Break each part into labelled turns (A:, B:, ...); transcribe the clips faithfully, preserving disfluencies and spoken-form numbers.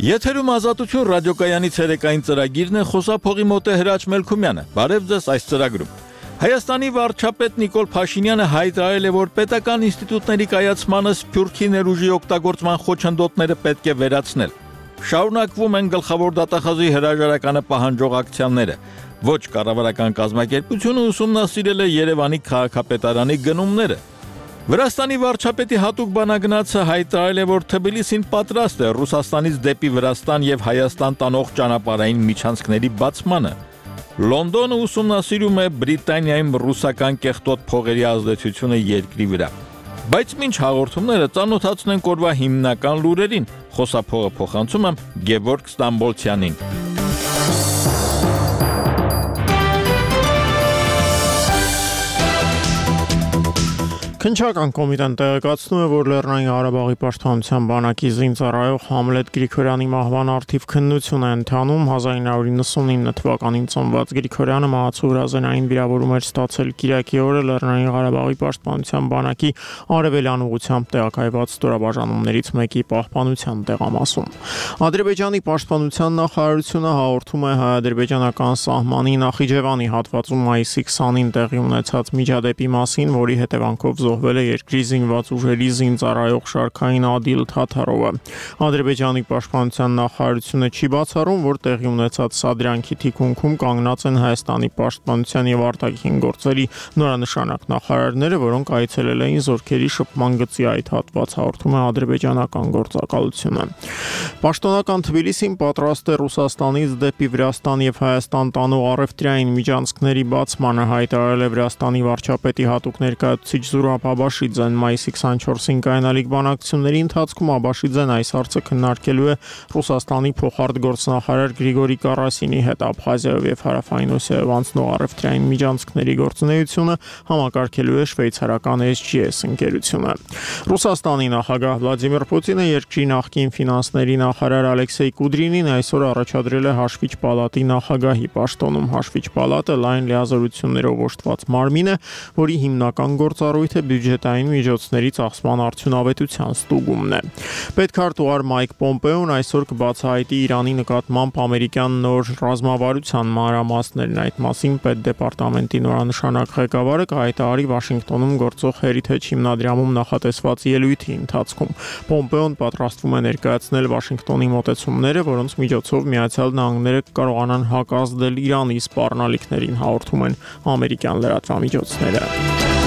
A: Եթերում Ազատություն ռադիոկայանի ցերեկային ծրագիրն է, խոսափողի մոտ է Հրաչ Մելքումյանը։ Բարև ձեզ այս ծրագրում։ Հայաստանի վարչապետ Նիկոլ Փաշինյանը հայտարարել է, որ պետական ինստիտուտների կայացմանը սփյուռքի ներուժի օգտագործման խոչընդոտները պետք է վերացնել։ Շարունակվում են գլխավոր դատախազի հրաժարականը պահանջող ակցիաները։ Ոչ կառավարական կազմակերպությունը ուսումնասիրել է Երևանի քաղաքապետարանի գնումները։ Վրաստանի վարչապետի հատուկ բանագնացը հայտարարել է, որ Թբիլիսին պատրաստ է Ռուսաստանից դեպի Վրաստան եւ Հայաստան տանող ճանապարհային միջանցքների բացմանը։ Լոնդոնը ուսումնասիրում է Բրիտանիայում ռուսական կեղտոտ փողերի ազդեցությունը երկրի վրա։ Բայց մինչ հաղորդումները ծանոթացնենք օրվա հիմնական լուրերին, խոսափողը փոխանցում եմ Գևորգ Ստամբոլցյանին։
B: Քննչական կոմիտեն տեղեկացնում է, որ Լեռնային Ղարաբաղի պաշտպանության բանակի զինծառայող Համլետ Գրիգորյանի մահվան առթիվ քննություն է ընթանում։ հազար ինը հարյուր նվաթ թվականին ծնված Գրիգորյանը մահացու հրազենային վիրավորում էր ստացել կիրակի օրը Լեռնային Ղարաբաղի պաշտպանության բանակի արևելյան ուղղությամբ տեղակայված ստորաբաժանումներից մեկի պահպանության տեղամասում։ Ադրբեջանի պաշտպանության նախարարությունը հաղորդում է հայ-ադրբեջանական սահմանի Նախիջևանի հատվածում մայիսի քսանին տեղի ունեցած միջադեպի մասին, որի հետևանքով զոհվել է երկրի զինված ուժերի զինծառայող Շարքային Ադիլ Թաթարովը։ Ադրբեջանի պաշտպանության նախարարությունը չի բացառում, որ տեղի ունեցած սադրանքի թիկունքում կանգնած են Հայաստանի պաշտպանության եւ արտաքին գործերի նորանշանակ նախարարները, որոնք այցելել էին զորքերի շփման գծի այդ հատված, հաղորդում է ադրբեջանական գործակալությունը։ Պաշտոնական Թբիլիսին պատրաստ է Ռուսաստանից դեպի Վրաստան եւ Հայաստան տանող առևտրային միջանցքների բացմանը, հայտարարել է Վրաստանի վարչապետի հատուկ ներկայացուցիչ Զուրաբ Աբաշիձեն մայիսի քսանչորսին կայանալիք բանակցությունների ընթացքում Աբաշիձեն այս հարցը քննարկելու է Ռուսաստանի փոխարտգործնախարար Գրիգորի Կարասինի հետ Աբխազիայով եւ Հարավային Օսիայով անցնող առևտրային միջանցքների գործունեությունը համակարգելու է շվեյցարական էս ջի էս ընկերությունը։ Ռուսաստանի նախագահ Վլադիմիր Պուտինը երկրի նախկին ֆինանսների նախարար Ալեքսեյ Կուդրինին այսօր առաջադրել է Հաշվիչ պալատի նախագահի պաշտոնում։ Հաշվիչ պալատը լայն լիազորություններով օժտված մարմին է, որի հիմնական գործառույթը բյուջետային միջոցների ծախսման արդյունավետության ստուգումն է։ Պետքարտուղար Մայք Պոմպեոն այսօր կբացահայտի Իրանի նկատմամբ ամերիկյան նոր ռազմավարության մանրամասներն։ Այդ մասին պետդեպարտամենտի նորանշանակ ղեկավարը կհայտարարի Վաշինգտոնում գործող Heritage հիմնադրամում նախատեսված ելույթի ընթացքում։ Պոմպեոն պատրաստվում է ներկայացնել Վաշինգտոնի մոտեցումները, որոնց միջոցով Միացյալ Նահանգները կարողանան հակազդել Իրանի սպառնալիքներին, հաղորդում են ամերիկյան լրատվամիջոցները։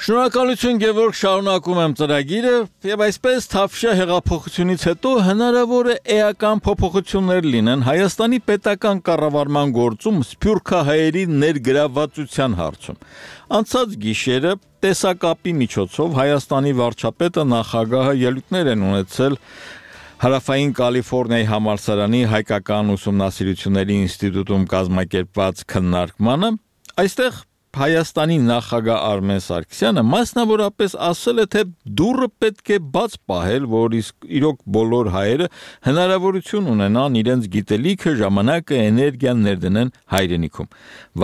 A: Շնորհակալություն Գևորգ, շարունակում եմ ծրագիրը եւ այսպես Թավշյա հեղափոխությունից հետո հնարավոր է էական փոփոխություններ լինեն Հայաստանի պետական կառավարման գործում սփյուռքահայերի ներգրավվածության հարցում։ Անցած գիշերը տեսակապի միջոցով Հայաստանի վարչապետը նախագահը ելույթներ են ունեցել Հարավային Կալիֆոռնիայի համալսարանի հայկական ուսումնասիրությունների ինստիտուտում կազմակերպված քննարկմանը։ Այստեղ Հայաստանի նախագահ Արմեն Սարգսյանը մասնավորապես ասել է, թե դուռը պետք է բաց պահել, որ իրոք բոլոր հայերը հնարավորություն ունենան իրենց գիտելիքը, ժամանակը, էներգիան ներդնեն հայրենիքում։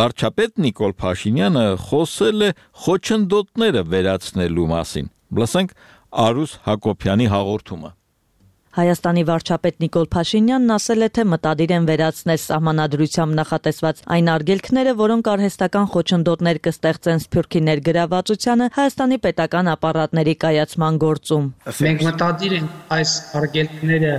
A: Վարչապետ Նիկոլ Փաշինյանը խոսել է խոչընդոտները վերացնելու մասին։ Լսենք Արուս Հակոբյանի հաղորդումը։
C: Հայաստանի վարչապետ Նիկոլ Փաշինյանն ասել է, թե մտադիր են վերացնել սահմանադրությամբ նախատեսված այն արգելքները, որոնք արհեստական խոչընդոտներ կստեղծեն սփյուռքի ներգրավվածությանը Հայաստանի պետական ապարատների կայացման գործում։
D: Մենք մտադիր ենք այս արգելքները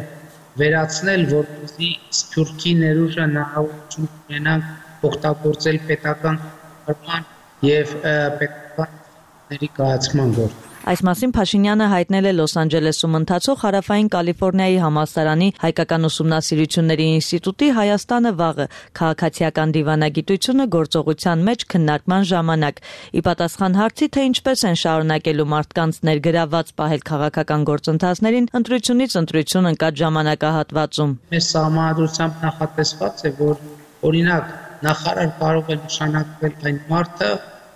D: վերացնել, որպեսզի սփյուռքի ներուժը հնարավորություն ունենան օգտագործել պետական կառավարման եւ պետական կայացման գործում։
C: Այս մասին Փաշինյանը հայտնել է Լոս Անջելեսում ընթացող Հարավային Կալիֆոռնիայի համալսարանի հայկական ուսումնասիրությունների ինստիտուտի Հայաստանը վաղը քաղաքացիական դիվանագիտությունը գործողության մեջ քննարկման ժամանակ։ Ի պատասխան հարցի, թե ինչպես են շարունակելու մարդկանց ներգրավված պահել քաղաքական գործընթացներին, ընտրությունից ընտրություն ընկած ժամանակահատվածում։
D: Մեր սահմանադրությամբ նախատեսված է, որ օրինակ նախարար կարող է նշանակվել այն մարդը,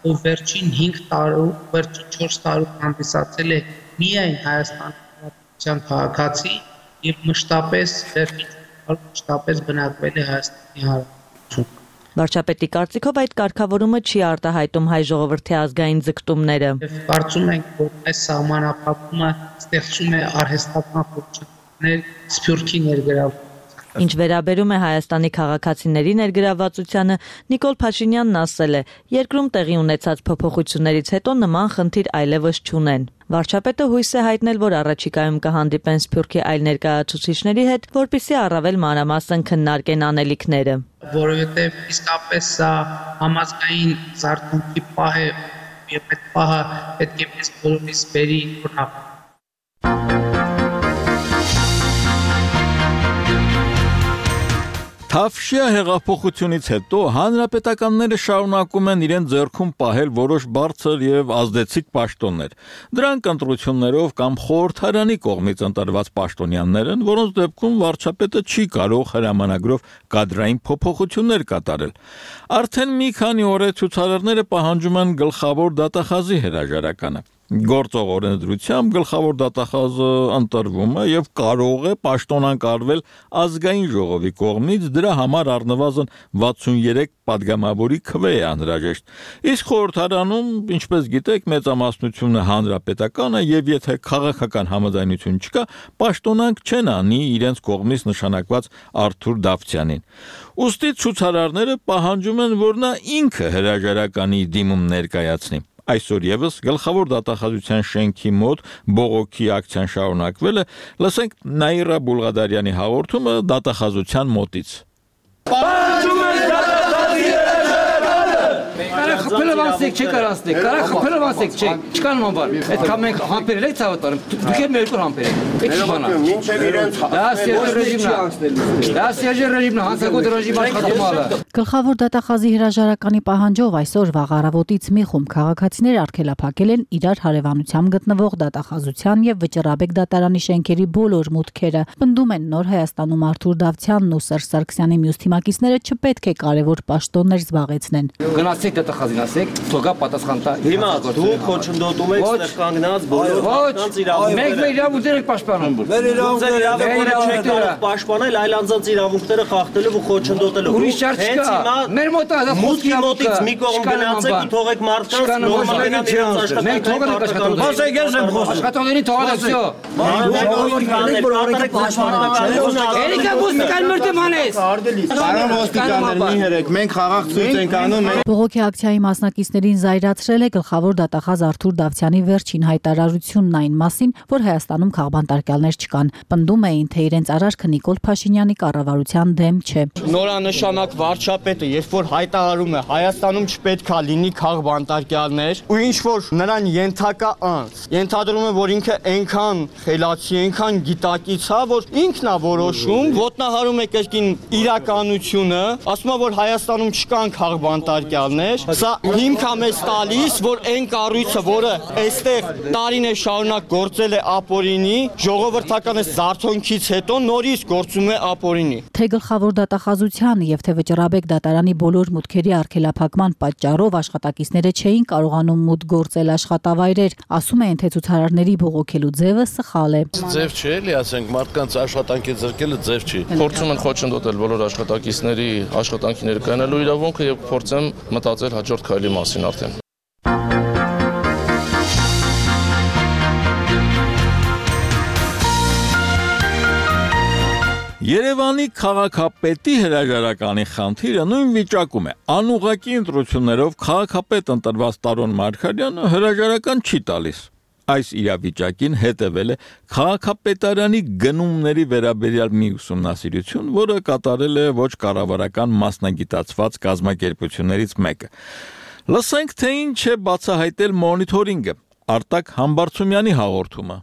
D: ով վերջին հինգ տարում, վերջին չորս տարում հանդիսացել է միայն Հայաստանի Հանրապետության քաղաքացի եւ մշտապես վերջին տարում մշտապես բնակվել է Հայաստանի Հանրապետությունում։
C: Վարչապետի կարծիքով այդ կարգավորումը չի արտահայտում հայ ժողովրդի ազգային ձգտումները։
D: Կարծում ենք, որ այս սահմանափակումը ստեղծում է արհեստական խորհուրդներ սփյուռքի ներգրավված։
C: Ինչ վերաբերում է Հայաստանի քաղաքացիների ներգրավվածությանը, Նիկոլ Փաշինյանն ասել է, երկրում տեղի ունեցած փոփոխություններից հետո նման խնդիր այլևս չունեն։ Վարչապետը հույս է հայտնել, որ առաջիկայում կհանդիպեն Սփյուռքի այլ ներկայացուցիչների հետ, որպեսզի առավել մանրամասն քննարկեն անելիքները։
D: Որովհետև իսկապես սա համազգային զարգացումի պահ է, եւ այդ պահը պետք է մեզ բոլորիս բերի օրինակ։
A: Թավշյա հեղափոխությունից հետո հանրապետականները շարունակում են իրեն ձեռքում պահել որոշ բարձր եւ ազդեցիկ պաշտոններ։ Դրանք ընտրություններով կամ խորհրդարանի կողմից ընտրված պաշտոնյաներ են, որոնց դեպքում վարչապետը չի կարող հրամանագրով կադրային փոփոխություններ կատարել։ Արդեն մի քանի օր է ցուցարարները պահանջում են գլխավոր դատախազի հրաժարականը։ Գործող օրենսդրությամբ գլխավոր դատախազը ընտրվում է եւ կարող է պաշտոնակարգվել ազգային ժողովի կողմից, դրա համար առնվազն վաթսուներեք պատգամավորի քվե է անհրաժեշտ։ Իսկ խորհրդարանում, ինչպես գիտեք, մեծամասնությունը հանրապետական է եւ եթե քաղաքական համաձայնություն չկա, պաշտոնանկ չեն անի իրենց կողմից նշանակված Արթուր Դավթյանին։ Ուստի ցուցարարները պահանջում են, որ նա ինքը հրաժարականի դիմում ներկայացնի։ Այսօր եւս գլխավոր դատախազության շենքի մոտ բողոքի ակցիան շարունակվել է, լսենք Նաիրա Բուլղադարյանի հաղորդումը դատախազության մոտից։
E: Պահանջում ենք դատախազի Կարա խփելով ասեք, չէ կարա ասեք, կարա խփելով ասեք, չէ, չկա նման բան։ Այդքան մենք համբերել ենք ցավատարում, դուք եք մեր երկու համբերել եք։ Էդ չի բանա։
F: Մինչև իրենց
E: Դա Սերժ ռեժիմն է։ Դա Սերժ ռեժիմն է, հանցագործ ռեժիմը աշխատում է։
G: Գլխավոր դատախազի հրաժարականի պահանջով այսօր վաղ առավոտից մի խումբ քաղաքացիներ արգելափակել են իրար հարևանությամբ գտնվող դատախազության եւ Վճռաբեկ դատարանի շենքերի բոլոր մուտքերը։ Պնդում են Նոր Հայաստանում Արթուր Դավթյանն ու Սերժ Սարգսյանի մյուս թիմակիցները չպետք է կարևոր պաշտոններ զբաղեցնեն։
E: Գնացեք դատախազին ասեք, թողա պատասխան տա։
F: Հիմա դուք խոչընդոտում եք ստեղ կանգնած բոլոր մարդկանց իրավունքները։
E: Մենք մեր իրավունքները եք պաշտպանում։
F: Մեր իրավունքները չեք կարող պաշտպանել այլ անձանց իրավունքները խախտելով ու խոչընդոտելով։
E: Ուրիշ չար չկա։ Մեր մոտ է դա
F: մուտքի մոտից մի կողմ գնացեք ու թողեք մարդկանց նորմալորեն իրենց աշխատանքները։ Ասեք ես եմ խոսում։
E: Աշխատողներին թողած ասյո։ Երիկա ոստիկան մրտը մանես։
F: Բարոն ոստիկաններ մի հերեք, մենք խաղաղ ցույց ենք անում։
G: Բողոքի ակցիայի մասնակիցներին զայրացրել է գլխավոր դատախազ Արթուր Դավթյանի վերջին հայտարարությունն այն մասին, որ Հայաստանում քաղբանտարկյալներ չկան։ Պնդում էին, թե իրենց արարքը Նիկոլ Փաշինյանի կառավարության դեմ չէ։
H: Նորանշանակ վարչապետը, երբ որ հայտարարում է Հայաստանում չպետքա լինի քաղբանտարկյալներ, ու ինչ որ նրան ենթակա անձ, ենթադրում է, որ ինքը այնքան խելացի, այնքան գիտակից է, որ ինքն է որոշում, ոտնահարում է կրկին իրականությունը, ասում է, որ Հայաստանում չկան քաղբանտարկյալներ, սա հիմք է մեզ տալիս, որ այն կառույցը, որը այստեղ տարիներ շարունակ գործել է ապօրինի, ժողովրդական զարթոնքից հետո նորից գործում է ապօրինի։
G: Թե գլխավոր դատախազության եւ թե Վճռաբեկ դատարանի բոլոր մուտքերի արգելափակման պատճառով աշխատակիցները չէին կարողանում մուտք գործել աշխատավայրեր, ասում են, թե ցուցարարների բողոքելու ձևը սխալ է։
I: Ձև չէ, էլի ասենք, մարդկանց աշխատանքի ձեռքելը ձև չի։ Փորձում են խոչընդոտել բոլոր աշխատակիցների աշխատանքի ներկայանալու իրավունքը եւ փորձեմ մտածել հաջորդ քայլի մասին արդեն։
A: Երևանի քաղաքապետի հրաժարականի խնդիրը նույն վիճակում է։ Անուղղակի ընտրություններով քաղաքապետ ընտրված Տարոն Մարգարյանը հրաժարական չի տալիս։ Այս իրավիճակին հետևել է քաղաքապետարանի գնումների վերաբերյալ մի ուսումնասիրություն, որը կատարել է ոչ կառավարական մասնագիտացված կազմակերպություններից մեկը։ Լսենք, թե ինչ է բացահայտել մոնիթորինգը։ Արտակ Համբարձումյանի հաղորդումը։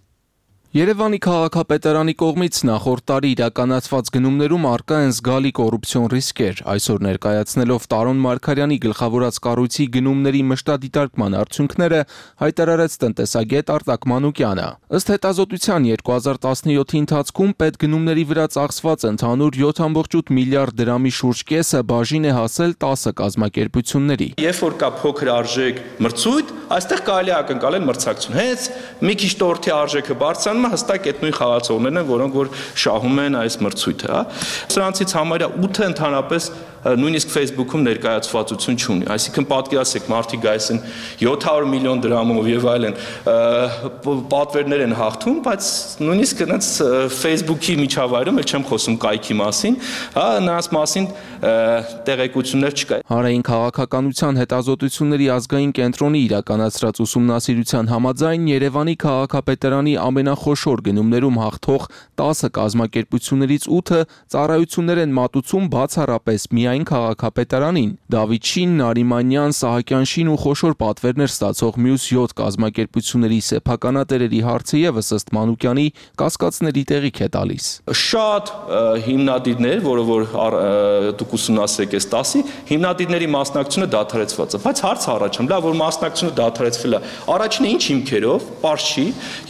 J: Երևանի քաղաքապետարանի կողմից նախորդ տարի իրականացված գնումներում առկա են զգալի կոռուպցիոն ռիսկեր, այսօր ներկայացնելով Տարոն Մարգարյանի գլխավորած կառույցի գնումների մշտադիտարկման արդյունքները հայտարարեց տնտեսագետ Արտակ Մանուկյանը։ Ըստ հետազոտության երկու հազար տասնյոթի ընթացքում պետգնումների վրա ծախսված ընդհանուր յոթ կόμma ութ միլիարդ դրամի շուրջ կեսը բաժին է հասել տասը կազմակերպությունների։
K: Երբ որ կա փոքր արժեք մրցույթ, այստեղ կարելի է ակնկալել մրցակցություն։ Հենց մի քիչ տորթի արժեքը բարձրանում հստակ այդ նույն խաղացողներն են, որոնք որ շահում են այս մրցույթը, հա։ Սրանցից համարյա ութը ընդհանրապես նույնիսկ Facebook-ում ներկայացվածություն չունի, այսինքն պատկերացրեք մարդիկ գայս են յոթ հարյուր միլիոն դրամով եւ այլն պատվերներ են հաղթում, բայց նույնիսկ այնց Facebook-ի միջավայրում էլ չեմ խոսում կայքի մասին, հա, նրանց մասին տեղեկություններ չկա։
J: Հանրային քաղաքականության հետազոտությունների ազգային կենտրոնի իրականացրած ուսումնասիրության համաձայն Երևանի քաղաքապետարանի ամենախոշոր գնումներում հաղթող տասը կազմակերպություններից ութը ծառայություններ են մատուցում բացառապես միայն քաղաքապետարանին։ Դավիթ Շին, Նարիմանյան, Սահակյան-Շին ու խոշոր պատվերներ ստացող մյուս յոթ կազմակերպությունների սեփականատերերի հարցը եւս ըստ Մանուկյանի կասկածների տեղիք է տալիս։
K: Շատ հիմնադիրներ, որը որ դուք ուսումնասիրեք այս տասի, հիմնադիրների մասնակցությունը դադարեցված է, բայց հարց առաջանում, լավ որ մասնակցությունը դադարեցվել է, առաջինը ինչ հիմքերով, պարզ չի,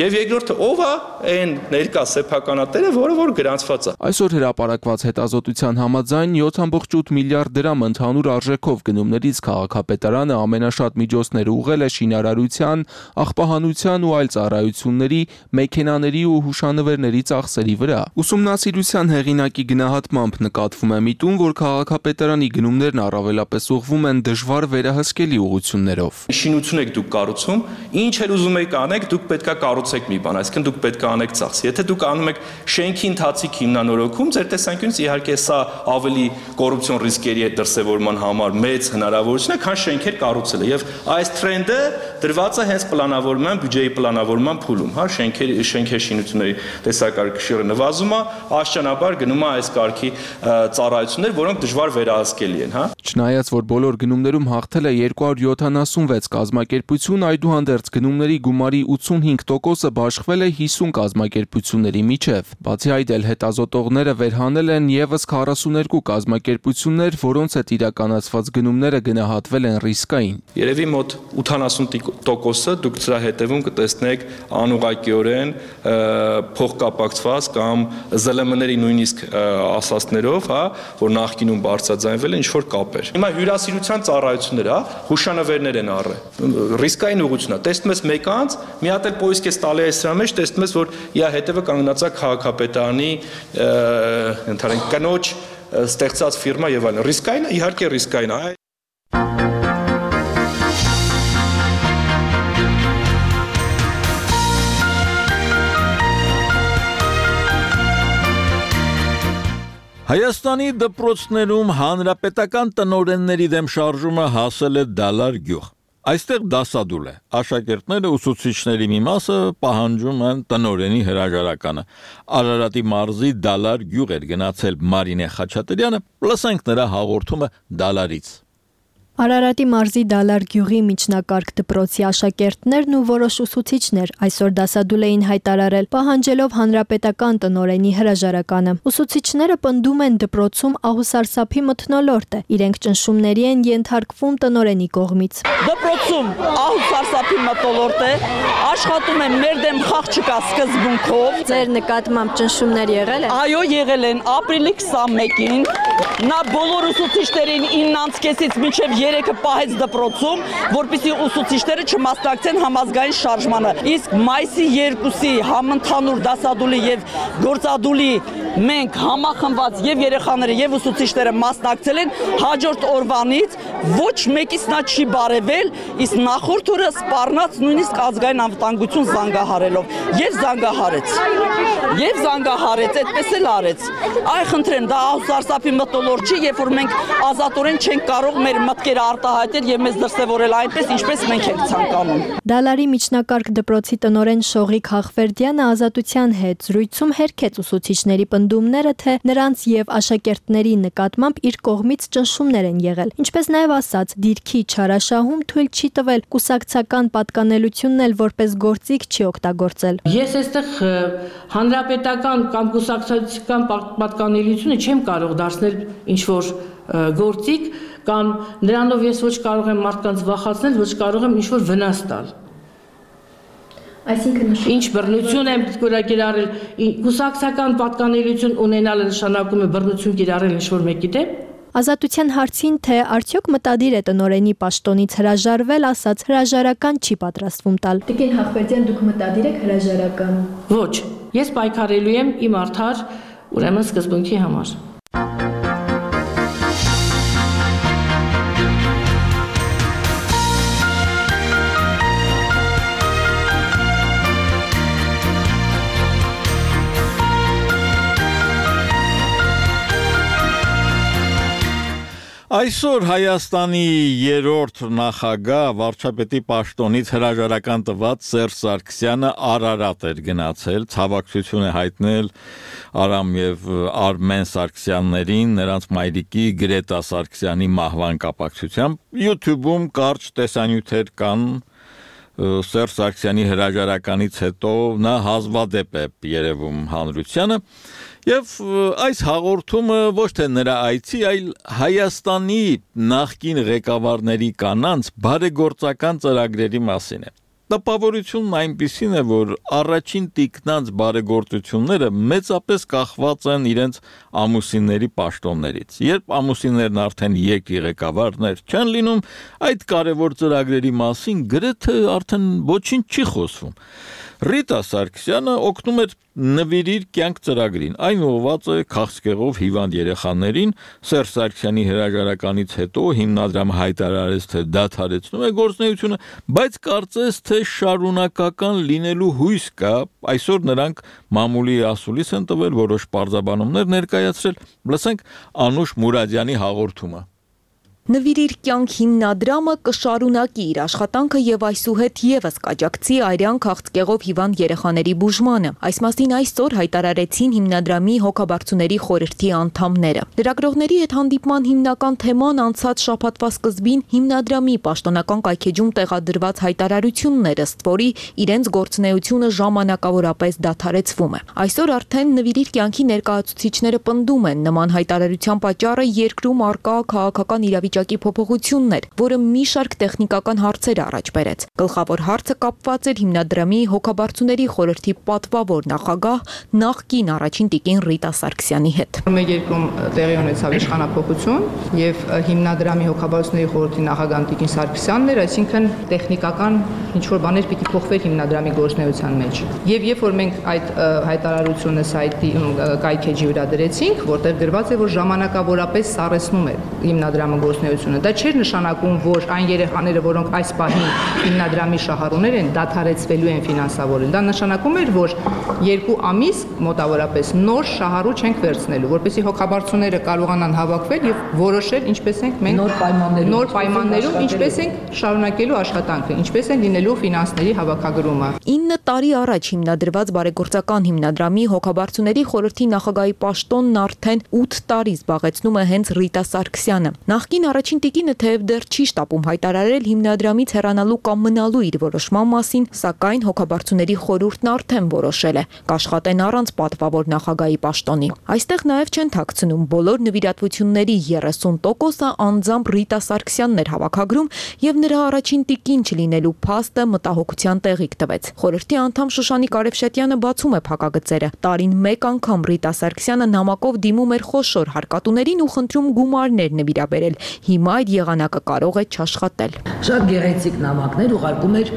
K: եւ երկրորդը ով է այն ներկա սեփականատերը, որը որ գրանցված է։
J: Այսօր հրապարակված հետազոտության համաձայն յոթ կόμma ութ միլիարդ դրամ ընդհանուր արժեքով գնումներից քաղաքապետարանը ամենաշատ միջոցներ ուղղել է շինարարության, աղբահանության ու այլ ծառայությունների, մեքենաների ու հուշանվերների ծախսերի վրա։ Ուսումնասիրության հեղինակի գնահատմամբ նկատվում է միտում, որ քաղաքապետարանի գնումներն առավելապես ուղղվում են դժվար վերահսկելի ուղղություններով։
K: Շինություն եք դուք կառուցում, ինչ էլ ուզում եք անեք, դուք պետքա կառուցեք մի բան, այսինքն դուք պետք է անեք ծախս։ Եթե դուք անում եք շենքի ընթացիկ հիմնանորոգում, ձեր տեսանկյունից իհարկե սա ավելի կոռուպցիոն ռիսկերի հետ դրսևորման համար մեծ հնարավորություն է, քան շենքեր կառուցելը։ Եվ այս տրենդը դրված է հենց պլանավորման, բյուջեի պլանավորման փուլում, հա, շենքեր շենքեր շինությունների տեսակարգը նվազում է, աշճանաբար գնում է այս կարգի ծառայություններ, որոնք դժվար վերահսկելի են, հա։
J: Չնայած որ բոլոր գնումներում հաղթել է երկու հարյուր յոթանասունվեց կազմակերպություն, այդուհանդերձ գնումների գումարի ութսունհինգ տոկոսը բաշխվել է հիսուն կազմակերպությունների միջև։ Բացի այդ էլ հետազոտողները վերհանել են եւս քառասուներկու կազմակերպություններ, որոնց հետ իրականացված գնումները գնահատվել են ռիսկային։
K: Երևի մոտ ութանասուն տոկոսը դուք դրա հետևում կտեսնեք անուղղակիորեն փոխկապակցված կամ զլ էմ-ների նույնիսկ ասածներով, հա, որ նախկինում բարձրաձայնվել է ինչ որ կապեր։ Հիմա հյուրասիրության ծառայություններ, հա, հուշանվերներ են առել։ Ռիսկային ուղղություն է։ Տեսնում ես մեկ անց, մի հատ էլ պոիսկ ես տալի այս սրա մեջ, տեսնում ես, որ իր հետևը կանգնած է քաղաքապետարանի ընդհանրեն կնոջ ստեղծած ֆիրմա եւ այլն։ Ռիսկային է, իհարկե ռիսկային է։
A: Հայաստանի դպրոցներում հանրապետական տնօրենների դեմ շարժումը հասել է Դալար գյուղ։ Այստեղ դասադուլ է։ Աշակերտները ուսուցիչների մի մասը պահանջում են տնօրենի հրաժարականը։ Արարատի մարզի Դալար գյուղ էր գնացել Մարինե Խաչատրյանը, լսենք նրա հաղորդումը Դալարից։
L: Արարատի մարզի Դալար գյուղի միջնակարգ դպրոցի աշակերտներն ու որոշ ուսուցիչներ այսօր դասադուլ էին հայտարարել, պահանջելով հանրապետական տնօրենի հրաժարականը։ Ուսուցիչները պնդում են դպրոցում ահուսարսափի մթնոլորտ է, իրենք ճնշումների են ենթարկվում տնօրենի կողմից։
M: Դպրոցում ահուսարսափի մթնոլորտ է, աշխատում են մեր դեմ խաղ չկա սկզբունքով։
L: Ձեր նկատմամբ ճնշումներ եղել են։
M: Այո, եղել են ապրիլի քսանմեկին։ Նա բոլոր ուսուցիչներին իննանց կեսից մինչև երեքը պահեց դպրոցում, որպեսզի ուսուցիչները չմասնակցեն համազգային շարժմանը։ Իսկ մայիսի երկուսի համընդհանուր դասադուլի եւ գործադուլի մենք համախմբված եւ երեխաները եւ ուսուցիչները մասնակցել են, հաջորդ օրվանից ոչ մեկից նա չի բարևել, իսկ նախորդ օրը սպառնաց նույնիսկ ազգային անվտանգություն զանգահարելով եւ զանգահարեց։ Եվ զանգահարեց, այդպես էլ արեց։ Այ խնդրեմ, դա ահուսարսափի մթնոլորտ չի, երբ որ մենք ազատորեն չենք կարող մեր մտքերը իր արտահայտել եւ մեզ դրսեւորել այնպես, ինչպես մենք ենք ցանկանում։
L: Դալարի միջնակարգ դպրոցի տնօրեն Շողիկ Հախվերդյանը Ազատության հետ զրույցում հերքեց ուսուցիչների պնդումները, թե նրանց եւ աշակերտների նկատմամբ իր կողմից ճնշումներ են եղել։ Ինչպես նաեւ ասաց, դիրքի չարաշահում թույլ չի տվել կուսակցական պատկանելությունն էլ որպես գործիք չի օգտագործել։
N: Ես այստեղ հանրապետական կամ կուսակցական պատկանելությունը չեմ կարող դարձնել ինչ որ գործիք կամ նրանով ես ոչ կարող եմ մարդկանց վախացնել, ոչ կարող եմ ինչ որ վնաս տալ։
L: Այսինքն
N: ինչ բռնություն եմ կիրառել, կուսակցական պատկանելություն ունենալը նշանակում է բռնություն կիրառել ինչ որ մեկի դեմ։
L: Ազատության հարցին, թե արդյոք մտադիր է տնօրենի պաշտոնից հրաժարվել, ասաց հրաժարական չի պատրաստվում տալ։
O: Տիկին Հախվերդյան, դուք մտադիր եք հրաժարական։
N: Ոչ, ես պայքարելու եմ իմ արդար, ուրեմն սկզբունքի համար։
A: Այսօր Հայաստանի երրորդ նախագահ վարչապետի պաշտոնից հրաժարական տված Սերժ Սարգսյանը Արարատ էր գնացել, ցավակցություն է հայտնել Արամ եւ Արմեն Սարգսյաններին, նրանց մայրիկի Գրետա Սարգսյանի մահվան կապակցությամբ։ YouTube-ում կարճ տեսանյութեր կան Սերժ Սարգսյանի հրաժարականից հետո նա հազվադեպ է երևում հանրությանը։ Եվ այս հաղորդումը ոչ թե նրա այցի, այլ Հայաստանի նախկին ղեկավարների կանանց բարեգործական ծրագրերի մասին է։ Տպավորությունն այնպիսին է, որ առաջին տիկնանց բարեգործությունները մեծապես կախված են իրենց ամուսինների պաշտոններից։ Երբ ամուսիններն արդեն երկրի ղեկավարներ չեն լինում, այդ կարևոր ծրագրերի մասին գրեթե արդեն ոչինչ չի խոսվում։ Ռիտա Սարգսյանը օգնում էր նվիրիր կյանք ծրագրին, այն ուղղված է քաղցկեղով հիվանդ երեխաներին, Սերժ Սարգսյանի հրաժարականից հետո հիմնադրամը հայտարարեց, թե դադարեցնում է գործունեությունը, բայց կարծես թե շարունակական լինելու հույս կա, այսօր նրանք մամուլի ասուլիս են տվել, որոշ պարզաբանումներ ներկայացրել, լսենք Անուշ Մուրադյանի հաղորդումը։
P: Նվիրիր կյանք հիմնադրամը կշարունակի իր աշխատանքը եւ այսուհետ եւս կաջակցի արյան քաղցկեղով հիվանդ երեխաների բուժմանը։ Այս մասին այսօր հայտարարեցին հիմնադրամի հոգաբարձուների խորհրդի անդամները։ Լրագրողների հետ հանդիպման հիմնական թեման անցած շաբաթվա սկզբին հիմնադրամի պաշտոնական կայքեջում տեղադրված հայտարարությունն էր, ըստ որի իրենց գործունեությունը ժամանակավորապես դադարեցվում է։ Այսօր արդեն նվիրիր կյանքի ներկայացուցիչները պնդում են նման հայտարարության պատճառը երկրում արկա քաղաքական իրավիճակի փոփոխություններ, որը մի շարք տեխնիկական հարցեր առաջ բերեց։ Գլխավոր հարցը կապված էր հիմնադրամի հոգաբարձուների խորհրդի պատվավոր նախագահ նախկին առաջին տիկին Ռիտա Սարգսյանի հետ։
Q: Մեր երկրում տեղի ունեցավ իշխանափոխություն եւ հիմնադրամի հոգաբարձուների խորհրդի նախագահ տիկին Սարգսյանն էր, այսինքն տեխնիկական ինչ որ բաներ պիտի փոխվեր հիմնադրամի գործունեության մեջ։ Եվ երբ որ մենք այդ հայտարարությունը սայթի կայքեջի վրա դրեցինք, որտեղ գրված է, որ ժամանակավորապես սառեցնում է հիմնադրամը գործունեությունը, դա չէր նշանակում, որ այն երեխաները, որոնք այս պահին հիմնադրամի շահառուներ են, դադարեցվելու են ֆինանսավորել։ Դա նշանակում էր, որ երկու ամիս մոտավորապես նոր շահառու չենք վերցնելու, որպեսզի հոգաբարձուները կարողանան հավաքվել եւ որոշել ինչպես ենք մենք
N: նոր պայմաններում,
Q: նոր պայմաններում ինչպես ենք շարունակելու աշխատանքը, ինչպես են լինելու ֆինանսների հավաքագրումը։
P: ինը տարի առաջ հիմնադրված բարեգործական հիմնադրամի հոգաբարձուների խորհրդի նախագահի պաշտոնն արդեն ութ տարի զբաղեցնում է հենց Ռիտա Սարգսյանը։ Նախկին առաջին տիկինը թեև դեռ չի շտապում հայտարարել հիմնադրամից հեռանալու կամ մնալու իր որոշման մասին, սակայն հոգաբարձուների խորհուրդն արդեն որոշել է կաշխատեն առանց պատվավոր նախագահի պաշտոնի։ Այստեղ նաև չեն թաքցնում բոլոր նվիրատվությունների երեսուն տոկոսը անձամբ Ռիտա Սարգսյանն էր հավաքագրում եւ նրա առաջին տիկին չլինելու փաստը մտահոգության տեղիք տվեց։ Խորհրդի անդամ Շուշանիկ Արևշետյանը բացում է փակագծերը։ Տարին մեկ անգամ Ռիտա Սարգսյանը նամակով դիմում էր խոշոր հարկատուներին ու խնդրում գումարներ նվիրաբերել։ Հիմա այդ եղանակը կարող է չաշխատել։
R: Շատ գեղեցիկ նամակներ ուղարկում էր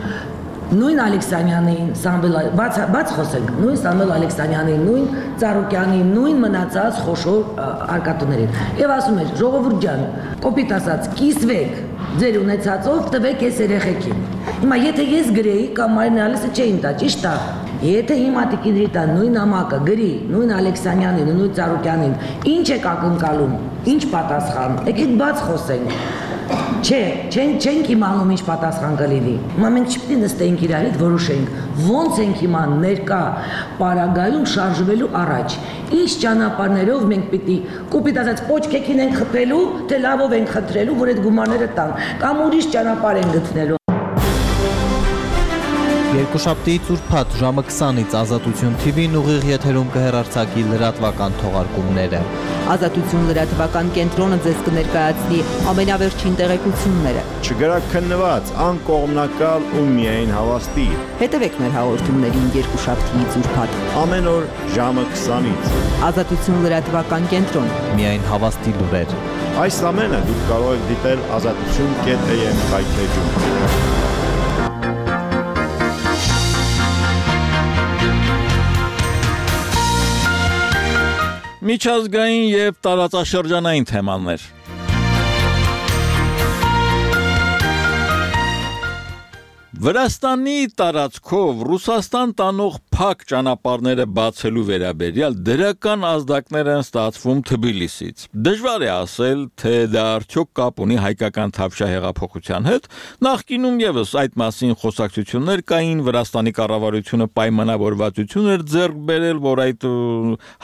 R: նույն Ալեքսանյանին, Սամվել, բաց բաց խոսենք, նույն Սամվել Ալեքսանյանին, նույն Ծառուկյանին, նույն մնացած խոշոր արկատուներին։ Եվ ասում էր, ժողովուրդ ջան, կոպիտ ասած, կիսվեք ձեր ունեցածով, տվեք այս երեխեքին։ Հիմա եթե ես գրեի կամ Մարինե Ալիսը չէին տա, ճիշտ է։ Եթե հիմա տիկին Ռիտա նույն նամակը գրի, նույն Ալեքսանյանին, նույն Ծառուկյանին, ինչ եք ակնկալում, ինչ պատասխան, եկեք բաց խոսենք։ Չէ, չեն չենք իմանում ինչ պատասխան կլինի։ Հիմա մենք չպետք է նստենք իրար հետ որոշենք, ոնց ենք հիմա ներկա պարագայում շարժվելու առաջ։ Ինչ ճանապարհներով մենք պիտի կոպիտ ասած պոչկեքին ենք խփելու, թե լավով ենք խնդրելու, որ այդ գումարները տան, կամ ուրիշ ճանապարհ են գտնելու։
S: Երկուշաբթի ծուրփաթ ժամը քսանից Ազատություն Թի Վին ուղիղ եթերում կհեռարձակի լրատվական թողարկումները։
P: Ազատություն լրատվական կենտրոնը ձեզ կներկայացնի ամենավերջին տեղեկությունները։
T: Չգրաքննված, անկողմնակալ ու միայն հավաստի։
P: Հետևեք մեր հաղորդումներին երկուշաբթի ծուրփաթ
T: ամեն օր ժամը քսանից։
P: Ազատություն լրատվական կենտրոն։
S: Միայն հավաստի լուրեր։
T: Այս ամենը դուք կարող եք դիտել ազատություն կետ էյ էմ կայքեջում։
A: Միջազգային եւ տարածաշրջանային թեմաներ։ Վրաստանի տարածքով Ռուսաստան տանող փակ ճանապարհները բացելու վերաբերյալ դրական ազդակներ են ստացվում Թբիլիսից։ Դժվար է ասել, թե դա արդյոք կապ ունի հայկական Թավշյա հեղափոխության հետ։ Նախկինում եւս այդ մասին խոսակցություններ կային, Վրաստանի կառավարությունը պայմանավորվածություն էր ձեռք բերել, որ այդ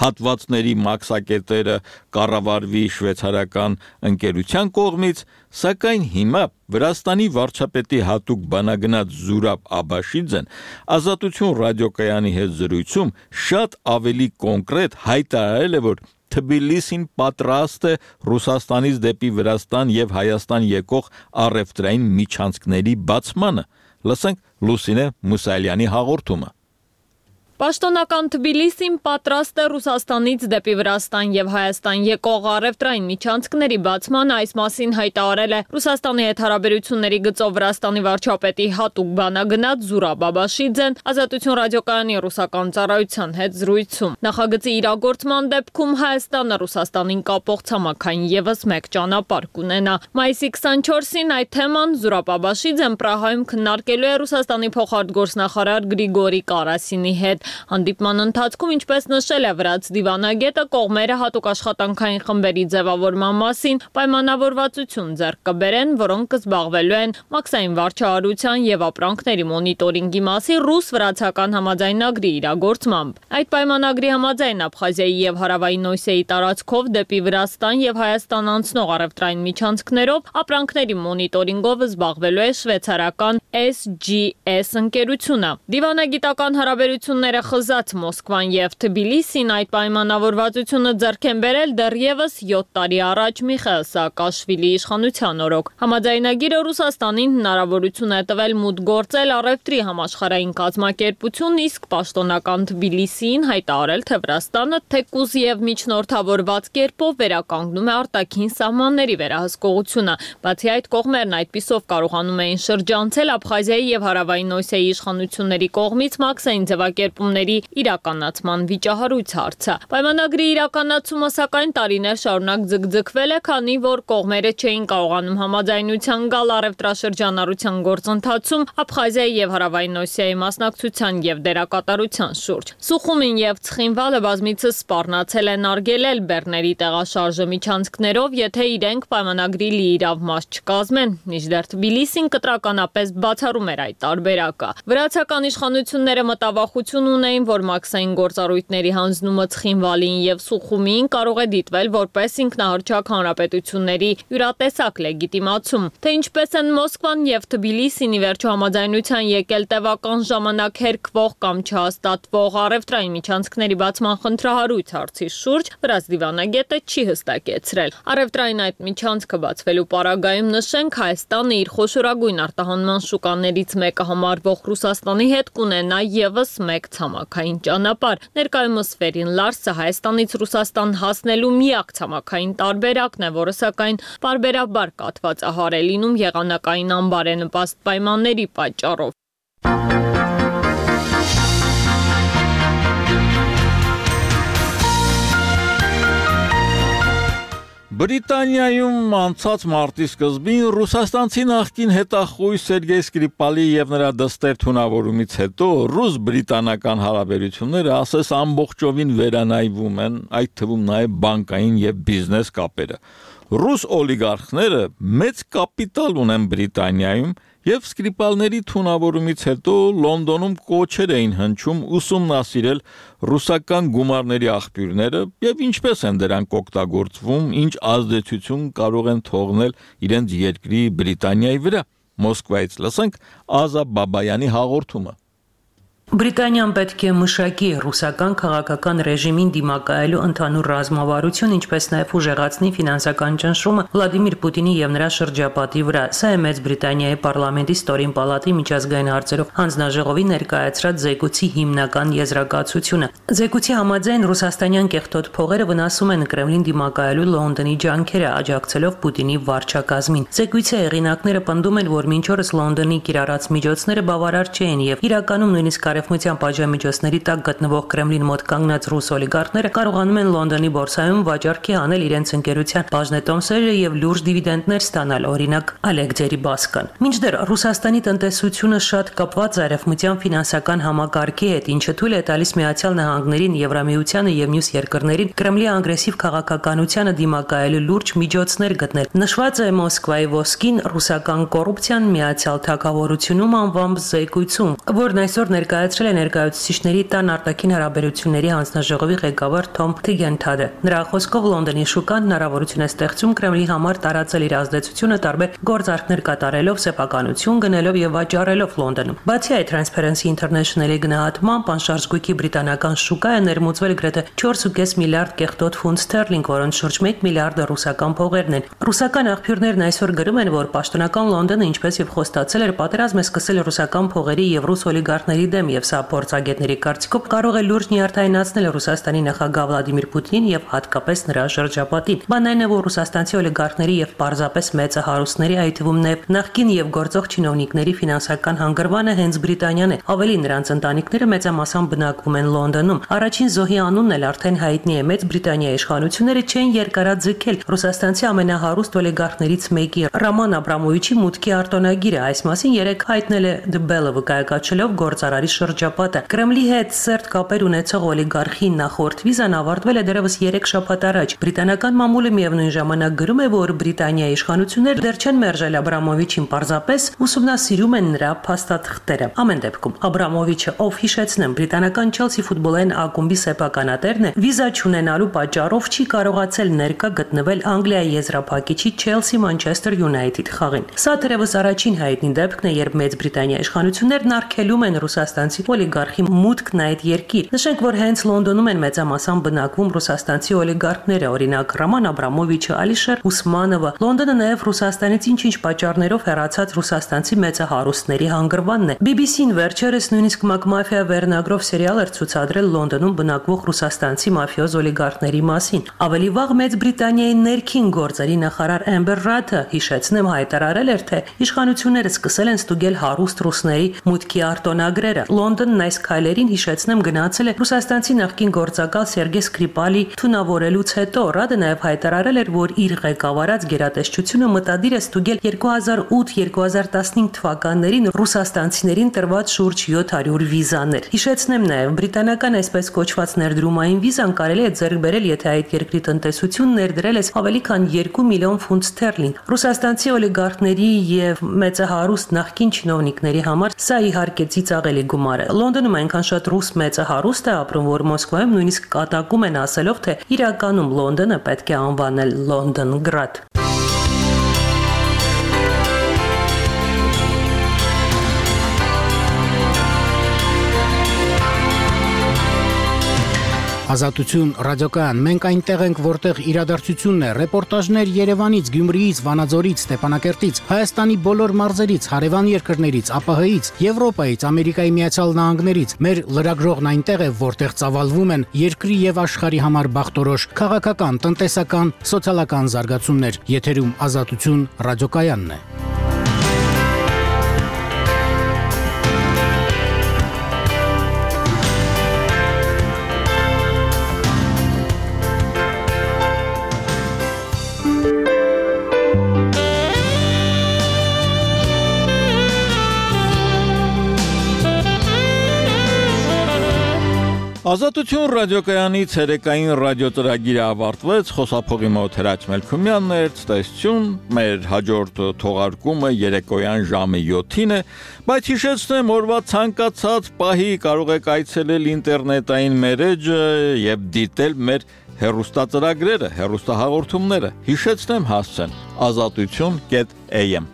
A: հատվածների մաքսակետերը կառավարվի շվեյցարական ընկերության կողմից, սակայն հիմա Վրաստանի վարչապետի հատուկ բանագնաց Զուրաբ Աբաշիձեն Ազատություն ռադիոկայանի հետ զրույցում շատ ավելի կոնկրետ հայտարարել է, որ Թբիլիսին պատրաստ է Ռուսաստանից դեպի Վրաստան եւ Հայաստան եկող առևտրային միջանցքների բացմանը։ Լսենք Լուսինե Մուսալյանի հաղորդումը։
U: Պաշտոնական Թբիլիսին պատրաստ է Ռուսաստանից դեպի Վրաստան եւ Հայաստան եկող առևտրային միջանցքների բացմանը, այս մասին հայտարարել է Ռուսաստանի հետ հարաբերությունների գծով Վրաստանի վարչապետի հատուկ բանագնաց Զուրաբ Աբաշիձեն Ազատություն ռադիոկայանի ռուսական ծառայության հետ զրույցում։ Նախագծի իրագործման դեպքում Հայաստանը Ռուսաստանին կապող ցամաքային եւս մեկ ճանապարհ կունենա։ Մայիսի քսանչորսին այդ թեման Զուրաբ Աբաշիձեն Պրահայում քննարկելու է Ռուսաստանի փոխարտգործնախարար Գրիգորի Կարասինի հետ։ Հանդիպման ընթացքում, ինչպես նշել է վրաց դիվանագետը, կողմերը հատուկ աշխատանքային խմբերի ձևավորման մասին պայմանավորվածություն ձեռք կբերեն, որոնք կզբաղվելու են մաքսային վարչահարության եւ ապրանքների մոնիտորինգի մասին ռուս-վրացական համաձայնագրի իրագործմամբ։ Այդ պայմանագրի համաձայն Աբխազիայի եւ Հարավային Օսիայի տարածքով դեպի Վրաստան եւ Հայաստան անցնող առևտրային միջանցքներով ապրանքների մոնիտորինգով զբաղվելու է շվեյցարական էս ջի էս ընկերությունը։ Դիվանագիտական հարաբերությունները խզած Մոսկվան եւ Թբիլիսին այդ պայմանավորվածությունը ձեռք են բերել դեռևս յոթ տարի առաջ Միխայիլ Սաակաշվիլիի իշխանության օրոք։ Համաձայնագիրը Ռուսաստանին հնարավորություն է տվել մուտք գործել առևտրի համաշխարհային կազմակերպություն, իսկ պաշտոնական Թբիլիսին հայտարարել, թե Վրաստանը թեկուզ եւ միջնորդավորված կերպով վերականգնում է արտաքին սահմանների վերահսկողությունը։ Բացի այդ, կողմերն այդպիսով կարողանում էին շրջանցել Աբխազիայի եւ Հարավային Օսիայի իշխանությունների կողմից մաքսային ձևակերպումների իրականացման վիճահարույց հարցը։ Պայմանագրի իրականացումը սակայն տարիներ շարունակ ձգձգվել է, քանի որ կողմերը չէին կարողանում համաձայնության գալ առևտրաշրջանառության գործընթացում Աբխազիայի եւ Հարավային Օսիայի մասնակցության եւ դերակատարության շուրջ։ Սուխումին եւ Ցխինվալը բազմիցս սպառնացել են արգելել բեռների տեղաշարժը միջանցքներով, եթե իրենք պայմանագրի լիիրավ մաս չկազմեն։ Մինչդեռ Թբիլիսին կտրականապես բացառում էր այդ տարբերակը։ Վրացական իշխանությունները մտավախություն ունեին, որ մաքսային գործառույթների հանձնումը Ցխինվալին եւ Սուխումին կարող է դիտվել որպես ինքնահռչակ հանրապետությունների յուրատեսակ լեգիտիմացում։ Թե ինչպես են Մոսկվան եւ Թբիլիսին ի վերջո համաձայնության եկել տևական ժամանակ հերկվող կամ չհաստատվող առևտրային միջանցքների բացման խնդրահարույց հարցի շուրջ, վրաց դիվանագետը չի հստակեցրել։ Առևտրային այդ միջանցքը բացվելու պարագայում նշենք, Հայաստանը իր խոշորագույն արտահանման շուկաներից մեկը համարվող Ռուսաստանի հետ կունենա եւս մեկ ցամաքային ճանապարհ։ Ներկայումս Ֆերին Լարսը Հայաստանից Ռուսաստան հասնելու միակ ցամաքային տարբերակն է, որը սակայն բարբերաբար կաթվածահար է լինում եղանակային անբարենպաստ պայմանների պատճառով։
A: Բրիտանիայում անցած մարտի սկզբին ռուսաստանցի նախկին հետախույզ Սերգեյ Սկրիպալի եւ նրա դստեր թունավորումից հետո ռուս-բրիտանական հարաբերությունները ասես ամբողջովին վերանայվում են, այդ թվում նաեւ բանկային եւ բիզնես կապերը։ Ռուս օլիգարխները մեծ կապիտալ ունեն Բրիտանիայում եւ սկրիպալների թունավորումից հետո Լոնդոնում կոչեր էին հնչում ուսումնասիրել ռուսական գումարների աղբյուրները եւ ինչպես են դրանք օգտագործվում, ինչ ազդեցություն կարող են թողնել իրենց երկրի Բրիտանիայի վրա։ Մոսկվայից լսենք Ազա Բաբայանի հաղորդումը։
B: Բրիտանիան պետք է մշակի ռուսական քաղաքական ռեժիմին դիմակայելու ընդհանուր ռազմավարություն, ինչպես նաև ուժեղացնի ֆինանսական ճնշումը Վլադիմիր Պուտինի եւ նրա շրջապատի վրա։ Սա է Մեծ Բրիտանիայի պարլամենտի ստորին պալատի միջազգային հարցերով հանձնաժողովի ներկայացրած զեկույցի հիմնական եզրակացությունը։ Զեկույցի համաձայն ռուսաստանյան կեղտոտ փողերը վնասում են Կրեմլին դիմակայելու Լոնդոնի ջանքերը, աջակցելով Պուտինի վարչակազմին։ Զեկույցի հեղինակները պնդում են, որ մինչ օրս Լոնդոնի կիրառած միջոցները բավարար չեն եւ իրականում նույնիսկ Արևմտյան պատժամիջոցների տակ գտնվող Կրեմլին մոտ կանգնած ռուս օլիգարխները կարողանում են Լոնդոնի բորսայում վաճառքի անել իրենց ընկերության բաժնետոմսերը եւ լուրջ դիվիդենդներ ստանալ, օրինակ Ալեք Ջերիբասկան։ Մինչդեռ Ռուսաստանի տնտեսությունը շատ կապված է արևմտյան ֆինանսական համակարգի հետ, ինչը թույլ է տալիս Միացյալ Նահանգներին, Եվրամիությանը եւ մյուս երկրներին Կրեմլի ագրեսիվ քաղաքականությանը դիմակայելու լուրջ միջոցներ գտնել։ Նշված է Մոսկվայի ոսկին ռուսական կոռուպցիան Միացյալ Թագավորությունում անվամբ զեկույցում, որն այսօր ներկայացրել է ներկայացուցիչների տան արտաքին հարաբերությունների հանձնաժողովի ղեկավար Թոմ Թիգենթադը։ Նրա խոսքով Լոնդոնի շուկան հնարավորություն է ստեղծում Կրեմլի համար տարածել իր ազդեցությունը տարբեր գործարքներ կատարելով, սեփականություն գնելով եւ վաճառելով Լոնդոնում։ Բացի այդ, Transparency International-ի գնահատմամբ անշարժ բրիտանական շուկա է ներմուծվել գրեթե չորս կես միլիարդ կեղտոտ ֆունտ ստերլինգ, որոնց շուրջ մեկ միլիարդը ռուսական փողերն են։ Ռուսական աղբյուրներն այսօր գրում են, որ պաշտոնական Լոնդոնը, ինչպես եւ խոստացել էր, պատերազմ է սկսել ռուսական փողերի եւ ռուս օլիգարխների դեմ եւ սա փորձագետների կարծիքով կարող է լուրջ նյարդայնացնել Ռուսաստանի նախագահ Վլադիմիր Պուտինին եւ հատկապես նրա շրջապատին։ Բանն այն է, որ ռուսաստանցի օլիգարխների եւ պարզապես մեծը հարուստների, այդ թվում նաեւ նախկին եւ գործող չինովնիկների ֆինանսական հանգրվանը հենց Բրիտանիան է։ Ավելի նրանց ընտանիքները մեծամասամբ բնակվում են Լոնդոնում։ Առաջին զոհի անունն էլ արդեն հայտնի է։ Մեծ Բրիտանիայի իշխանությունները չեն երկարաձգել ռուսաստանցի ամենահարուստ օլիգարխներից մեկի Ռոման Աբրամովիչի մուտքի արտոնագիրը։ Այս մասին երեք հայտնել է The Bell-ը, վկայակացելով գործարարի շրջապատը։ Կրեմլի հետ սերտ կապեր ունեցող օլիգարխի նախորդ վիզան ավարտվել է դեռևս երեք շաբաթ առաջ։ Բրիտանական մամուլը միևնույն ժամանակ գրում է, որ Բրիտանիայի իշխանությունները դեռ չեն մերժել Աբրամովիչին, պարզապես ուսումնասիրում են նրա փաստաթղթերը։ Ամեն դեպքում Աբրամովիչը, ով հիշեցնեմ, բրիտանական Չելսի ֆուտբոլային ակումբի սեփականատերն է, վիզա չունենալու պատճառով չի կարողացել ներկա գտնվել Անգլիայի եզրափակիչի Չելսի Մանչեսթեր Յունայթեդ խաղին։ Սա թերևս առաջին հայտնի դեպքն է, երբ Մեծ Բրիտանիայի իշխանություններն արգելում են ռուսաստանցի օլիգարխի մուտքն այդ երկիր։ Նշենք, որ հենց Լոնդոնում են մեծամասամբ բնակվում ռուսաստանցի օլիգարխները, օրինակ Ռոման Աբրամովիչը, Ալիշեր Ուսմանովը։ Լոնդոնը նաև Ռուսաստանից ինչ-ինչ պատճառներով հեռացած ռուսաստանցի մեծահարուստների հանգրվանն է։ բի բի սին վերջերս նույնիսկ Մակմաֆիա վերնագրով սերիալ էր ցուցադրել Լոնդոնում բնակվող ռուսաստանցի մաֆիոզ օլիգարխների մասին։ Ավելի վաղ Մեծ Բրիտանիայի ներքին գործերի նախարար Էմբեր Ռաթը, հիշեցնեմ, հայտարարել էր, թե իշխանությունները սկսել են ստուգել հարուստ ռուսների մուտքի արտոնագրերը։ Լոնդոնն այս քայլերին, հիշեցնեմ, գնացել է ռուսաստանցի նախկին գործակալ Սերգեյ Սկրիպալի թունավորելուց հետո։ Ռադը նաև հայտարարել էր, որ իր ղեկավարած գերատեսչությունը մտադիր է ստուգել երկու հազար ութ երկու հազար տասնհինգ թվականներին ռուսաստանցիներին տրված շուրջ յոթ հարյուր վիզաներ։ Հիշեցնեմ նաև, բրիտանական այսպես կոչված ներդրումային վիզան կարելի է ձեռք բերել, եթե այդ երկրի տնտեսությունն ներդրել է ավելի քան երկու միլիոն ֆունտ ստերլինգ։ Ռուսաստանցի օլիգարխների եւ մեծահարուստ նախկին չինովնիկների համար սա իհարկե ծիծաղելի գումար է։ Լոնդոնում այնքան շատ ռուս մեծահարուստ է ապրում, որ Մոսկվայում նույնիսկ կատակում են ասելով, թե իրականում Լոնդոնը պետք է անվանել Լոնդոնգրադ։
V: Ազատություն ռադիոկայան, մենք այնտեղ ենք, որտեղ իրադարձությունն է, ռեպորտաժներ Երևանից, Գյումրիից, Վանաձորից, Ստեփանակերտից, Հայաստանի բոլոր մարզերից, հարևան երկրներից, ԱՊՀ-ից, Եվրոպայից, Ամերիկայի Միացյալ Նահանգներից։ Մեր լրագրողն այնտեղ է, որտեղ ծավալվում են երկրի եւ աշխարհի համար բախտորոշ քաղաքական, տնտեսական, սոցիալական զարգացումներ։ Եթերում Ազատություն ռադիոկայանն է։
A: Ազատություն ռադիոկայանի ցերեկային ռադիոծրագիրը ավարտվեց, խոսափողի մոտ Հրաչ Մելքումյանն էր, ցտեսություն, մեր հաջորդ թողարկումը երեկոյան ժամը յոթին է, բայց հիշեցնեմ, օրվա ցանկացած պահի կարող եք այցելել ինտերնետային մերեջը եւ դիտել մեր հեռուստածրագրերը, հեռուստահաղորդումները, հիշեցնեմ հասցեն ազատություն կետ a m